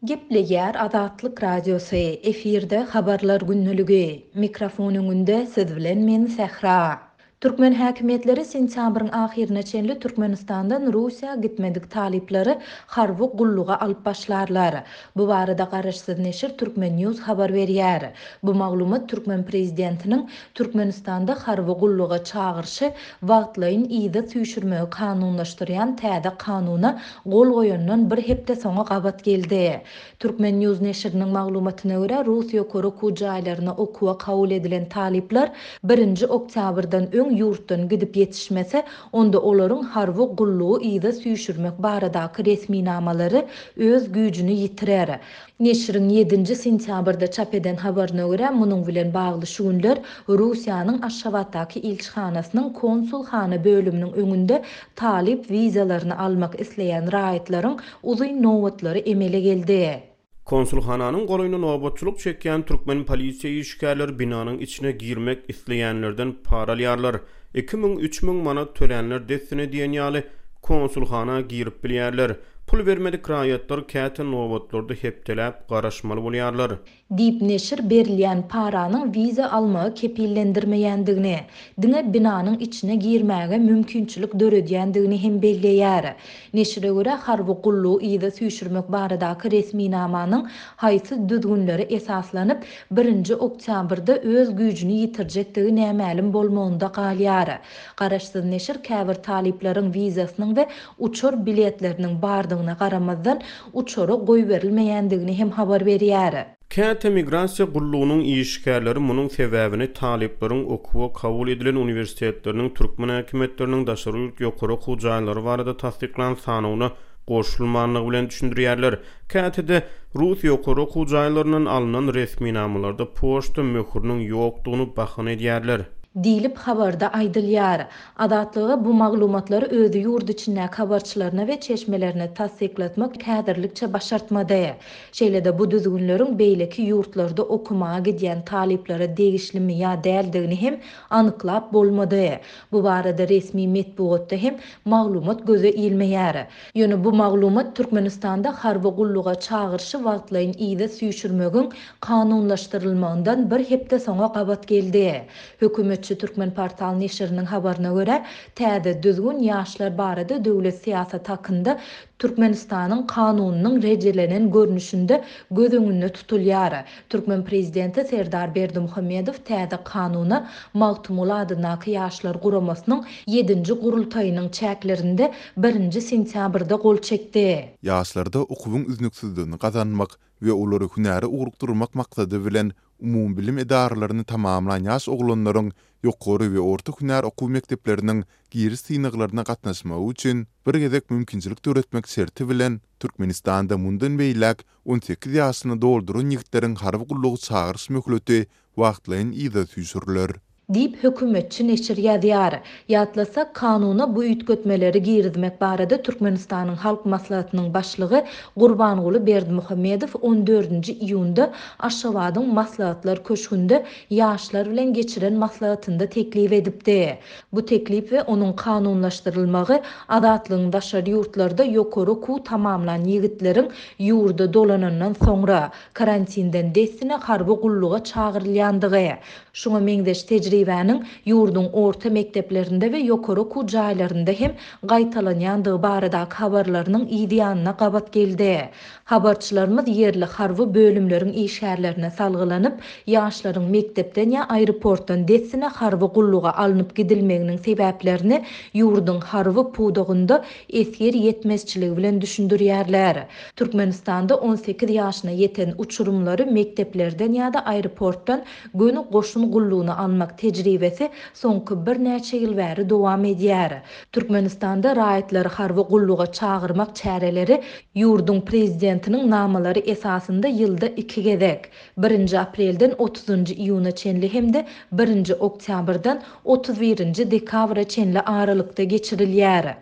Gepleýär Azatlyk Radiosy, efirde Habarlar gündeligi. Mikrofon öňünde siz bilen men Sähra. Türkmen häkimiýetleri sentýabryň ahyryna çenli Türkmenistandan Russiýa gitmedik talyplary harby gulluga alyp başlarlar. Bu barada garaşsyz neşir Turkmen News habar berýär. Bu maglumat türkmen prezidentiniň Türkmenistanda harby gulluga çagyryşy wagtlaýyn yza süýşürmegi kanunlaşdyrýan täze kanuna gol goýandan bir hepde soňa gabat geldi. Turkmen News neşiriniň maglumatyna görä, rus ýokary okuw jaýlaryna okuwa kabul edilen talyplar birinji oktýabrdan öň ýurtdan gidip ýetişmese, onda olaryň harby gullugy yza süýşürmek baradaky resminamalary öz güýjüni ýitirer. Neşiriň ýedinji sentýabrda çap eden habaryna görä, munuň bilen bagly şu günler Russiýanyň Aşgabatdaky ilçihanasynyň konsulhana bölüminiň öňünde talyp wizalaryny almak isleýän raýatlaryň uzyn nobatlary emele geldi. Konsulhananyň golaýynda nobatçylyk çekýän türkmen polisiýa işgärleri binanyň içine girmek isleýänlerden para alýarlar. 2000, 3000 manat tölänler dessine diýen ýaly konsulhana girip bilýärler. Pul bermedik raýatlar käte nobatlarda hepdeläp garaşmaly bolýarlar. Diýip, neşir berilýän paranyň wiza almagy kepillendirmeýändigini, diňe binanyň içine girmäge mümkinçilik döredýändigini hem belleýär. Neşire görä, harby gullugy yza süýşürmek baradaky resminamanyň haýsy düzgünlere esaslanyp, birinji oktýabrda öz güýjüni ýitirjekdigi nämälim bolmagynda galýar. Garaşsyz neşir käbir talyplaryň wizasynyň we uçar biletleriniň bardygyna garamazdan, uçara goýberilmeýändigini hem habar berýär. Käte migrasiýa gullugynyň işgärleri munuň sebäbini talyplaryň okuwa kabul edilen uniwersitetleriniň türkmen häkimiýetleriniň daşary ýurt ýokary okuw jaýlary barada tassyklan sanawyna goşulmandygy bilen düşündirýärler. Käte-de, rus ýokary okuw jaýlaryndan alnan resminamalarda poçta möhüriniň ýokdugyny bahana edýärler. Diýlip, habarda aýdylýar. Azatlyga bu maglumatlary özi ýurt içindäki habarçylaryna we çeşmelerine tassyklatmak häzirlikçe başartmady. Şeýle-de bu düzgünleriň beýleki ýurtlarda okamaga gidýän talyplara degişlimi ýa däldigini hem anyklap bolmady. Bu barada resmi metbugatda hem maglumat göze ilmeýär. Ýöne bu maglumat Türkmenistanda harby gulluga çagyryşy wagtlaýyn yza süýşürmegiň kanunlaşdyrylmagyndan bir hepde soňa gabat geldi. Hökümetçi Türkmenportal neşiriniň habaryna görä, täze düzgün Ýaşlar barada döwlet syýasaty hakynda Türkmenistanyň Kanunynyň rejelenen görnüşinde göz öňünde tutulýar. Türkmen prezidenti Serdar Berdimuhamedow täze Kanuna Magtymguly adyndaky Ýaşlar guramasynyň ýedinji gurultaýynyň çäklerinde birinji sentýabrda gol çekdi. Ýaşlarda okuwyň üznüksizligini gazanmak we olary hünäre ugrukdyrmak maksady bilen, umumybilim edaralaryny tamamlan ýaş oglanlaryň ýokary we orta hünär okuw mekdepleriniň giriş synaglaryna gatnaşmagy üçin bir gezek mümkinçilik döretmek şerti bilen, Türkmenistanda mundan beýläk 18 ýaşyny dolduran ýigitleriň harby gulluga çagyryş möhleti wagtlaýyn yza süýşüriler. Diýip, hökümetçi neşir ýazýar. Ýatlasak, kanuna bu üýtgetmeleri girizmek barada Türkmenistanyň Halk Maslahatynyň Başlygy Gurbanguly Berdimuhamedow on dördünji iýunda Aşgabadyň Maslahatlar köşgünde ýaşlar bilen geçiren maslahatynda teklip edipdi. Bu teklip we onuň kanunlaşdyrylmagy Azatlygyň daşary ýurtlarda ýokary okuw tamamlan ýigitleriň ýurda dolanandan soňra, karantinden dessine harby gulluga çagyrylýandygy, Şuňa meňzeş tejribäniň ýurduň orta mekdeplerinde we ýokary okuw jaýlarynda hem gaýtalanýandygy baradaky habarlarynyň yz ýanyna gabat geldi. Habarçylarymyz ýerli harby bölümleriň işgärlerine salgylanyp, ýaşlaryň mekdepden ýa aeroportdan dessine harby gulluga alnyp gidilmeginiň sebäplerini ýurduň harby pudagynda esger ýetmezçiligi bilen düşündirýärler. Türkmenistanda 18 ýaşyna ýeten uçurymlary mekdeplerden ýa-da aeroportdan göni goşun gullugyna almak tejribesi soňky birnäçe ýyl bäri dowam edýär. Türkmenistanda raýatlary harby gulluga çagyrmak çäreleri ýurduň Prezidentiniň namalary esasynda ýylda iki gezek, birinji aprelden otuzynjy iýuna çenli hem-de birinji oktýabrdan 31 nji dekabra çenli aralykda geçirilýär.